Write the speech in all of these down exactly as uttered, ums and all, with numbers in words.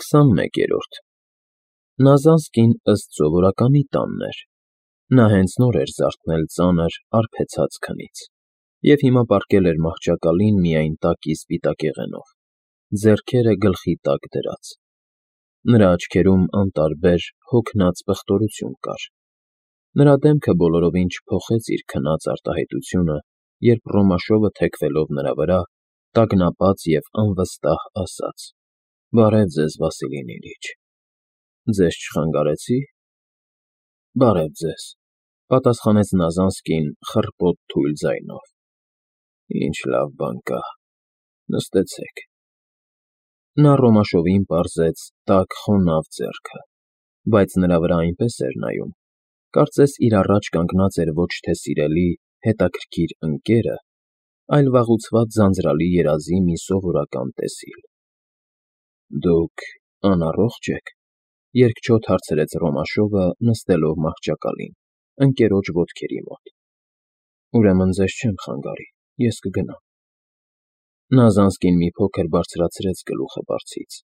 քսանմեկերորդ Նազանսկին ըստ սովորականի տանն էր. նա հենց նոր էր զարթնել ծանր, արբեցած քնից և հիմա պառկել էր մահճակալին միայն տակի սպիտակեղենով, ձեռքերը գլխի տակ դրած. նրա աչքերում անտարբեր, հոգնած պղտորություն կար. նրա դեմքը բոլորովին չփոխեց իր քնած արտահայտությունը, երբ Ռոմաշովը թեքվելով նրա վրա, տագնապած և անվստահ ասաց. «Բարև ձեզ, Վասիլի Նիլիչ, ձեզ չխանգարեցի՞»։ «Բարև ձեզ», պատասխանեց Նազանսկին խռպոտ թույլ ձայնով։ «Ինչ լավ բան կա, նստեցեք»։ Նա Ռոմաշովին պարզեց տաք խոնավ ձեռքը, բայց նրա վրա այնպես էր նայում, կարծես իր առաջ կանգնած էր ոչ թե սիրելի, հետաքրքիր ընկերը, այլ վաղուցված ձանձրալի երազի մի սովորական տեսիլ։ «Դուք անառողջ եք», երկչոտ հարցրեց Ռոմաշովը, նստելով մահճակալին, ընկերոջ ոտքերի մոտ։ «Ուրեմն ձեզ չեմ խանգարի, ես կգնամ»։ Նազանսկին մի փոքր բարձրացրեց գլուխը բարձից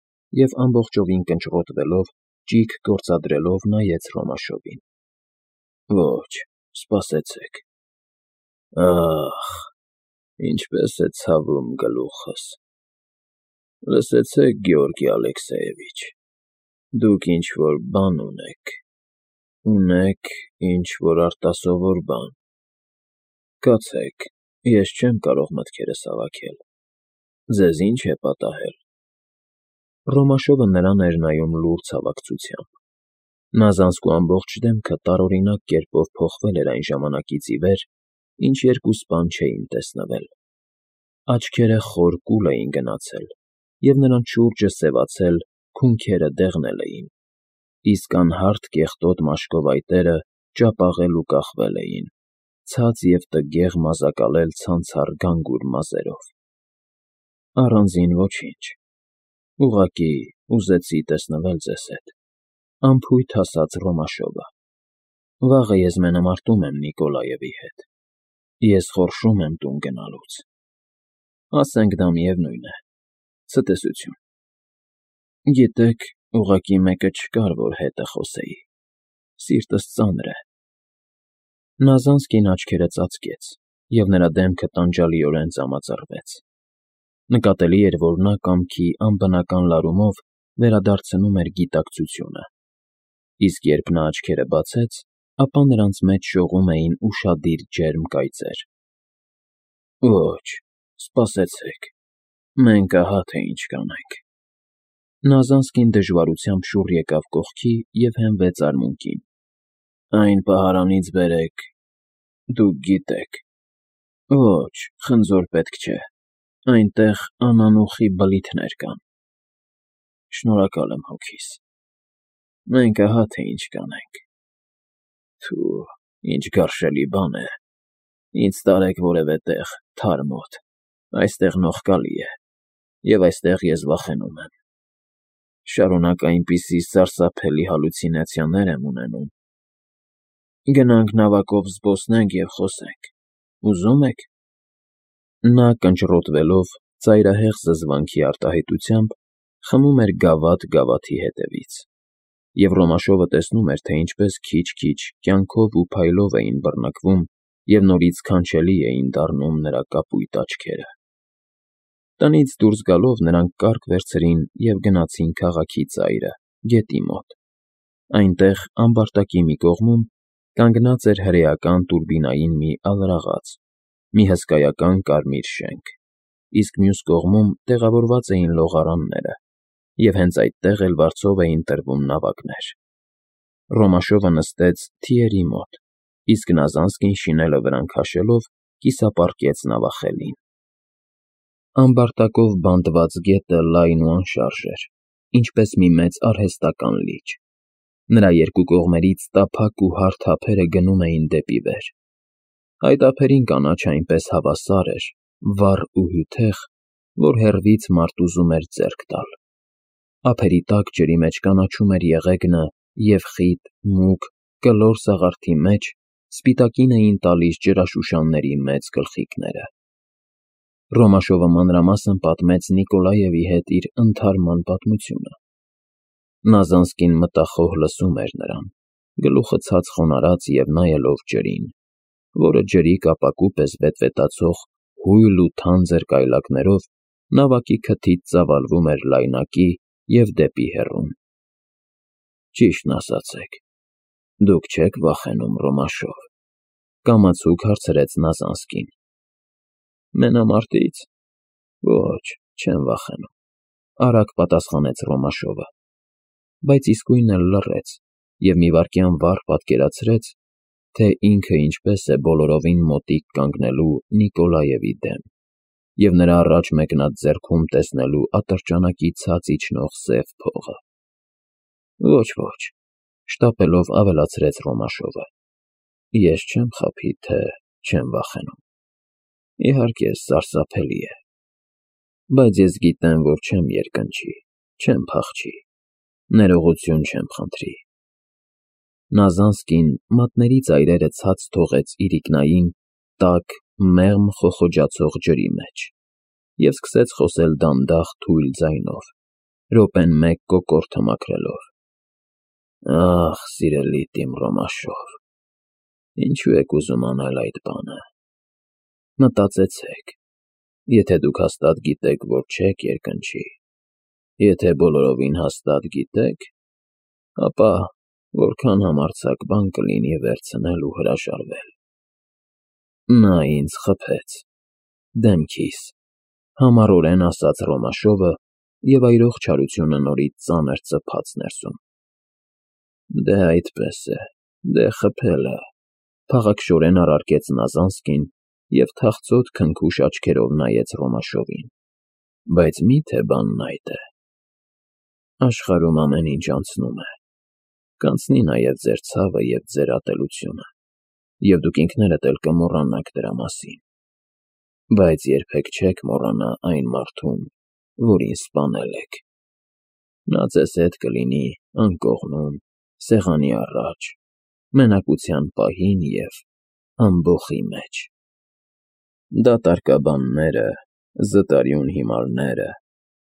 և ամբողջովին կնճռոտվելով, ճիգ գործադրելով նայեց Ռոմաշովին։ «Ոչ, սպասեցեք… Ա՜խ, ինչպես է ցավում գլուխս… Լսեցե՞ք, Գեորգի Ալեքսեևիչ, դուք ինչ֊որ բան ունեք, ունեք ինչ֊որ արտասովոր բան… Կացեք, ես չեմ կարող մտքերս հավաքել… Ձեզ ի՞նչ է պատահել»։ Ռոմաշովը նրան էր նայում լուռ ցավակցությամբ։ Նազանսկու ամբողջ դեմքը տարօրինակ կերպով փոխվել էր այն ժամանակից ի վեր, ինչ երկու սպան չէին տեսնվել։ Աչքերը խոր կուլ էին գնացել, և նրանց շուրջը սևացել, քունքերը դեղնել էին, իսկ անհարթ կեղտոտ մաշկովայտերը ճապաղել ու կախվել էին, ցած և տգեղ մազակալել ցանցառ գանգուր մազերով։ «Առանձին ոչինչ… Ուղղակի ուզեցի տեսնվել ձեզ հետ», անփույթ ասաց Ռոմաշովը։ «Վաղը ես մենամարտում եմ Նիկոլաևի հետ, ես խորշում եմ տուն գնալուց… Ասենք դա միևնույն է… Ցտեսություն… Գիտեք, ուղղակի մեկը չկար, որ հետը խոսեի… Սիրտս ծանր է…»։ Նազանսկին աչքերը ծածկեց, և նրա դեմքը տանջալիորեն ծամածռվեց։ Նկատելի էր, որ նա կամքի անբնական լարումով վերադարձնում էր գիտակցությունը, իսկ երբ նա աչքերը բացեց, ապա նրանց մեջ շողում էին ուշադիր ջերմ կայծեր։ «Ոչ, սպասեցեք, մենք ահա թե ինչ կանենք»։ Նազանսկին դժվարությամբ շուռ եկավ կողքի և հենվեց արմունկին։ «Այն պահարանից բերեք… Դուք գիտեք… Ոչ, խնձոր պետք չէ… Այնտեղ անանուխի բլիթներ կան… Շնորհակալ եմ հոգիս… Մենք ահա թե ինչ կանենք… Թո՛ւ, ինչ գարշելի բան է… Ինձ տարեք որևէ տեղ, թար մոտ… Այստեղ նողկալի է, և այստեղ ես վախենում եմ… Շարունակ այնպիսի սարսափելի հալյուցինացիաներ եմ ունենում… Գնանք նավակով զբոսնենք և խոսենք… Ուզո՞ւմ եք…»։ Նա կնճռոտվելով, ծայրահեղ զզվանքի արտահայտությամբ, խմում էր գավաթ գավաթի հետևից, և Ռոմաշովը տեսնում էր, թե ինչպես քիչ֊քիչ, կյանքով ու փայլով էին բռնկվում և նորից քանչելի էին դառնում նրա կապույտ աչքերը։ Տնից դուրս գալով նրանք կառք վերցրին և գնացին քաղաքի ծայրը, գետի մոտ։ Այնտեղ, ամբարտակի մի կողմում, կանգնած էր հրեական տուրբինային մի ալրաղաց, մի հսկայական կարմիր շենք, իսկ մյուս կողմում տեղավորված էին լողարանները, և հենց այդտեղ էլ վարձով էին տրվում նավակներ։ Ռոմաշովը նստեց թիերի մոտ, իսկ Նազանսկին շինելը վրան քաշելով, կիսապառկեց նավախելին։ Ամբարտակով բանտված գետը լայն ու անշարժ էր, ինչպես մի մեծ արհեստական լիճ։ Նրա երկու կողմերից տափակ ու հարթ ափերը գնում էին դեպի վեր։ Այդ ափերին կանաչը այնպես հավասար էր, վառ ու հյութեղ, որ հեռվից մարդ ուզում էր ձեռք տալ։ Ափերի տակ ջրի մեջ կանաչում էր եղեգնը և խիտ, մուգ, կլոր սաղարթի մեջ սպիտակին էին տալիս ջրաշուշանների մեծ գլխիկները։ Ռոմաշովը մանրամասն պատմեց Նիկոլաևի հետ իր ընթարման պատմությունը, Նազանսկին մտախոհ լսում էր նրան, գլուխը ցած խոնարհած և նայելով ջրին, որը ջրի կապակու պես վետվետացող հույլ ու թանձր կայլակներով նավակի քթից ծավալվում էր լայնակի և դեպի հեռուն։ Ճիշտն ասացեք, դուք չեք վախենում Ռոմաշով, կամացուկ հարցրեց Նազանսկին։ Մենամարտից։ Ոչ, չեմ վախենում, արագ պատասխանեց Ռոմաշովը, բայց իսկույն էլ լռեց և մի վայրկյան վառ պատկերացրեց, թե ինքը ինչպես է բոլորովին մոտիկ կանգնելու Նիկոլաևի դեմ և նրա առաջ մեկնած ձեռքում տեսնելու ատրճանակի ցած իջնող սև փողը։ Ոչ, ոչ, շտապելով ավելացրեց Ռոմաշովը, ես չեմ խաբի, թե չեմ վախենում։ Իհարկե, սարսափելի է, բայց ես գիտեմ, որ չեմ երկնչի, չեմ փախչի, ներողություն չեմ խնդրի։ Նազանսկին մատների ծայրերը ցած թողեց իրիկնային, տաք, մեղմ խոխոջացող ջրի մեջ և սկսեց խոսել դանդաղ թույլ ձայնով, րոպեն մեկ կոկորդը մաքրելով. Ախ, սիրելիդ իմ Ռոմաշով, ինչու եք ուզում անել այդ բանը։ Մտածեցեք, եթե դուք հաստատ գիտեք, որ չեք երկնչի, եթե բոլորովին հաստատ գիտեք, ապա որքան համարձակ բան կլինի վերցնել ու հրաժարվել։ Նա ինձ խփեց, դեմքիս, համառորեն ասաց Ռոմաշովը, և այրող չարությունը նորից ծանր ծփաց ներսում։ Դե այդպես է, դե խփել է, փաղաքշորեն առարկեց Նազանսկին և թախծոտ քնքուշ աչքերով նայեց Ռոմաշովին։ Բայց մի՞թե բանն այդ է։ Աշխարհում ամեն ինչ անցնում է, կանցնի նաև ձեր ցավը և ձեր ատելությունը, և դուք ինքներդ էլ կմոռանաք դրա մասին, բայց երբեք չեք մոռանա այն մարդուն, որին սպանել եք։ Նա ձեզ հետ կլինի անկողնում, սեղանի առաջ, մենակության պահին և ամբոխի մեջ։ Դատարկաբանները, զտարյուն հիմարները,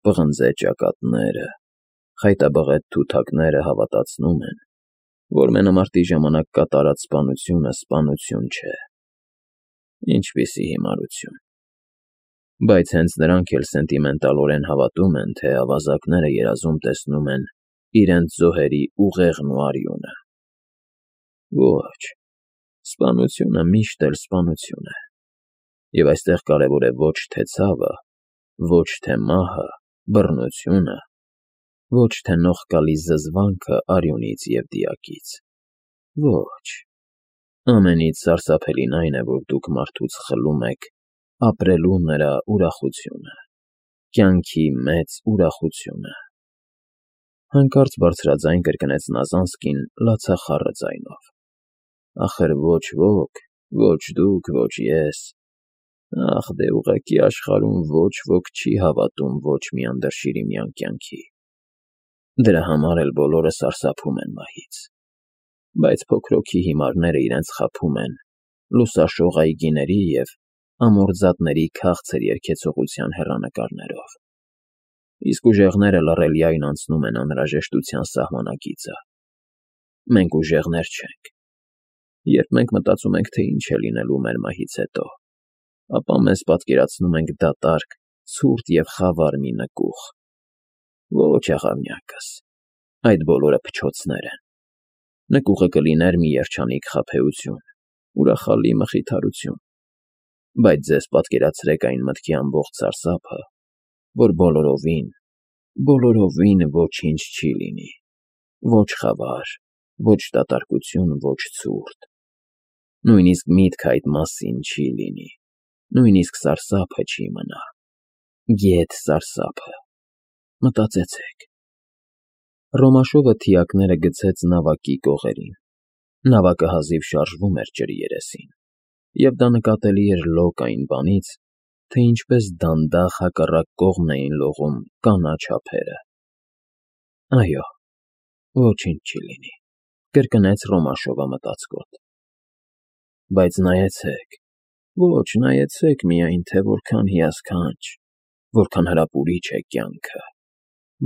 պղնձե ճակատները, խայտաբղետ թութակները հավատացնում են, որ մենամարտի ժամանակ կատարած սպանությունը սպանություն չէ։ Ինչպիսի հիմարություն։ Բայց հենց նրանք էլ սենտիմենտալորեն հավատում են, թե ավազակները երազում տեսնում են իրենց զոհերի ուղեղն ու արյունը։ Ոչ, սպանությունը միշտ էլ սպանություն է, և այստեղ կարևոր է ոչ թե ցավը, ոչ թե մահը, բռնությունը, ոչ թե նողկալի զզվանքը արյունից և դիակից։ Ոչ, ամենից սարսափելին այն է, որ դուք մարդուց խլում եք ապրելու նրա ուրախությունը, կյանքի մեծ ուրախությունը։ Հանկարծ բարձրաձայն կրկնեց Նազանսկին լացախառը ձայնով։ Ախր ոչ ոք, ոչ դուք, ոչ ես, ախ, դե ուղղակի աշխարհում ոչ ոք չի հավատում ոչ մի անդրշիրիմյան կյանքի։ Դրա համար էլ բոլորը սարսափում են մահից, բայց փոքրոքի հիմարները իրենց խաբում են լուսաշող այգիների և ամորձատների քաղցր երգեցողության հեռանկարներով, իսկ ուժեղները լռելիայն անցնում են անհրաժեշտության սահմանակիցը։ Մենք ուժեղներ չենք։ Երբ մենք մտածում ենք, թե ինչ է լինելու մեր մահից հետո, ապա մեզ պատկերացնում ենք դատարկ, ցուրտ և խավար մի նկուղ։ Ոչ, աղավնյակս, այդ բոլորը փչոցներ են։ Նկուղը կլիներ մի երջանիկ խաբեություն, ուրախալի մխիթարություն, բայց ձեզ պատկերացրեք այն մտքի ամբողջ սարսափը, որ բոլորովին, բոլորովին ոչինչ չի լինի, ոչ խավար, ոչ դատարկություն, ոչ ցուրտ։ Նույնիսկ միտքը այդ մասին չի լինի, նույնիսկ սարսափը չի մնա, գեթ սարսափը։ Մտածեցեք։ Ռոմաշովը թիակները գցեց նավակի կողերին։ Նավակը հազիվ շարժվում էր ջրի երեսին, և դա նկատելի էր լոկ այն բանից, թե ինչպես դանդաղ հակառակ կողմն էին լողում կանաչ ափերը։ Այո, ոչինչ չի լինի, կրկնեց Ռոմաշովը մտածկոտ։ Բայց նայեցեք, ոչ, նայեցեք միայն, թե որքան հիասքանչ, որքան հրապուրիչ է կյանքը,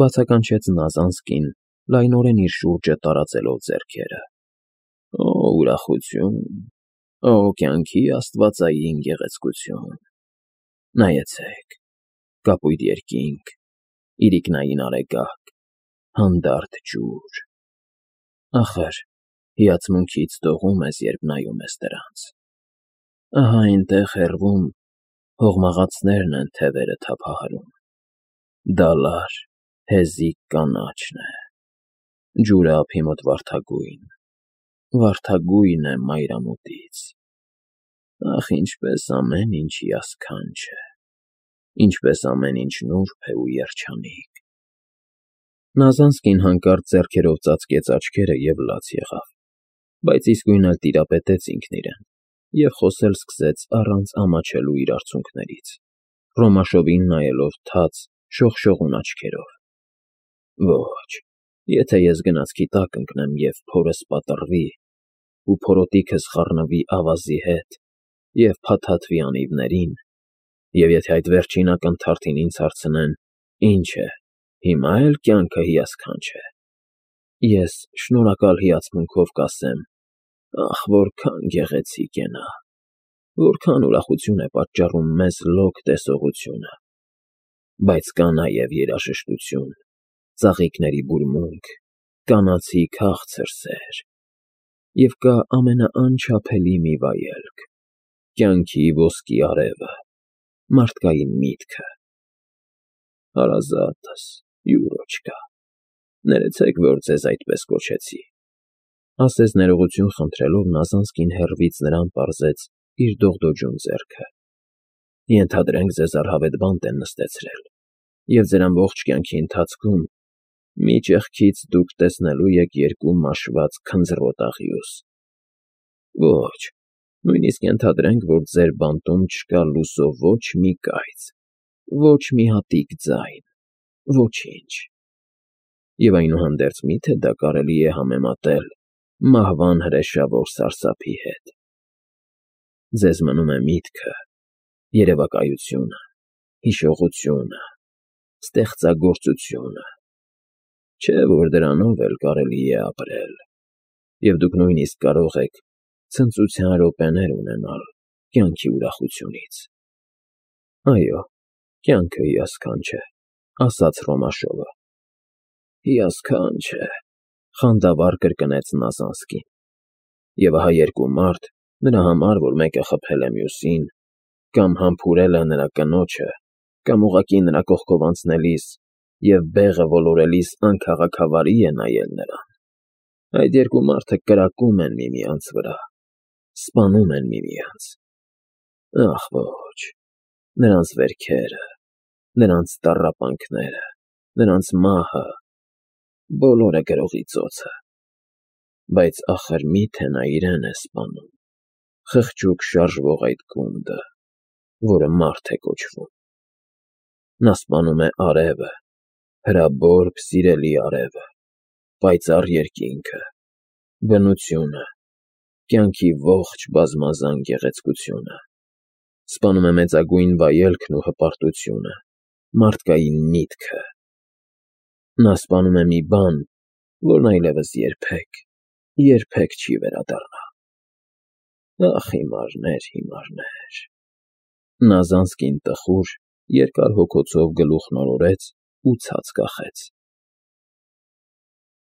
բացականչեց Նազանսկին, լայնորեն իր շուրջը տարածելով ձեռքերը։ Օ, ուրախություն, օ, կյանքի աստվածային գեղեցկություն։ Նայեցեք, կապույտ երկինք, իրիկնային արեգակ, հանդարտ ջուր։ Ախր, հիացմունքից դողում ես, երբ նայում ես դրանց։ Ահա այնտեղ հեռվում հողմաղացներն են թևերը թափահարում։ Դալար, հեզիկ կանաչն է, ջուրը ափի մոտ վարդագույն, վարդագույն է մայրամուտից։ Ախ, ինչպես ամեն ինչ հիասքանչ է, ինչպես ամեն ինչ նուրբ է ու երջանիկ։ Նազանսկին հանկարծ ձեռքերով ծածկեց աչքերը և լաց եղավ, բայց իսկույն էլ տիրապետեց ինքն իրեն և խոսել սկսեց առանց ամաչելու իր արցունքներից, Ռոմաշովին նայելով թաց, շողշողուն աչքերով։ Ոչ, եթե ես գնացքի տակ ընկնեմ և փորս պատռվի, ու փորոտիքս խառնվի ավազի հետ և փաթաթվի անիվներին, և եթե այդ վերջին ակնթարթին ինձ հարցնեն. «Ինչ է, հիմա էլ կյանքը հիասքանչ է», ես շնորհակալ հիացմունքով կասեմ. «Ախ, որքան գեղեցիկ է նա, որքան ուրախություն է պատճառում մեզ լոկ տեսողությունը»։ Բայց կա նաև երաժշտություն, ծաղիկների բուրմունք, կանացի քաղցր սեր, և կա ամենաանչափելի մի վայելք՝ կյանքի ոսկի արևը, մարդկային միտքը։ Հարազատս, Յուրոչկա, ներեցեք, որ ձեզ այդպես կոչեցի, ասես ներողություն խնդրելով Նազանսկին հեռվից նրան պարզեց իր դողդոջուն ձեռքը։ Ենթադրենք ձեզ առհավետ բանտ են նստեցրել, և ձեր ամբողջ կյանքի ընթացքում մի ճեղքից դուք տեսնելու եք երկու մաշված քնձռոտ աղյուս։ Ոչ, նույնիսկ ենթադրենք, որ ձեր բանտում չկա լուսո ոչ մի կայծ, ոչ մի հատիկ ձայն, ոչինչ։ Եվ այնուհանդերձ մի՞թե դա կարելի է համեմատել մահվան հրեշավոր սարսափի հետ։ Ձեզ մնում է միտքը, երևակայությունը, հիշողությունը, ստեղծագործությունը, չէ՞ որ դրանով էլ կարելի է ապրել, և դուք նույնիսկ կարող եք ցնծության րոպեներ ունենալ կյանքի ուրախությունից։ Այո, կյանքը հիասքանչ է, ասաց Ռոմաշովը։ Հիասքանչ է, խանդավառ կրկնեց Նազանսկին։ Եվ ահա երկու մարդ, նրա համար, որ մեկը խփել է մյուսին, կամ համբուրել է նրա կնոջը, կամ ուղղակի նրա կողքով անցնելիս և բեղը ոլորելիս անքաղաքավարի է նայել նրան, այդ երկու մարդը կրակում են միմյանց վրա, սպանում են միմյանց։ Ախ, ոչ, նրանց վերքերը, նրանց տառապանքները, նրանց մահը, բոլորը գրողի ծոցը։ Բայց ախր մի՞թե նա իրեն է սպանում, խղճուկ շարժվող այդ գունդը, որը մարդ է կոչվում։ Նա սպանում է արևը, հրաբորբ սիրելի արևը, պայծառ երկինքը, բնությունը, կյանքի ողջ բազմազան գեղեցկությունը, սպանում է մեծագույն վայելքն ու հպարտությունը, մարդկային միտքը։ Նա սպանում է մի բան, որն այլևս երբեք, երբեք չի վերադառնա։ Ախ, հիմարներ, հիմարներ։ Նազանսկին տխուր, երկար հոգոցով գլուխն օրորեց ու ցած կախեց։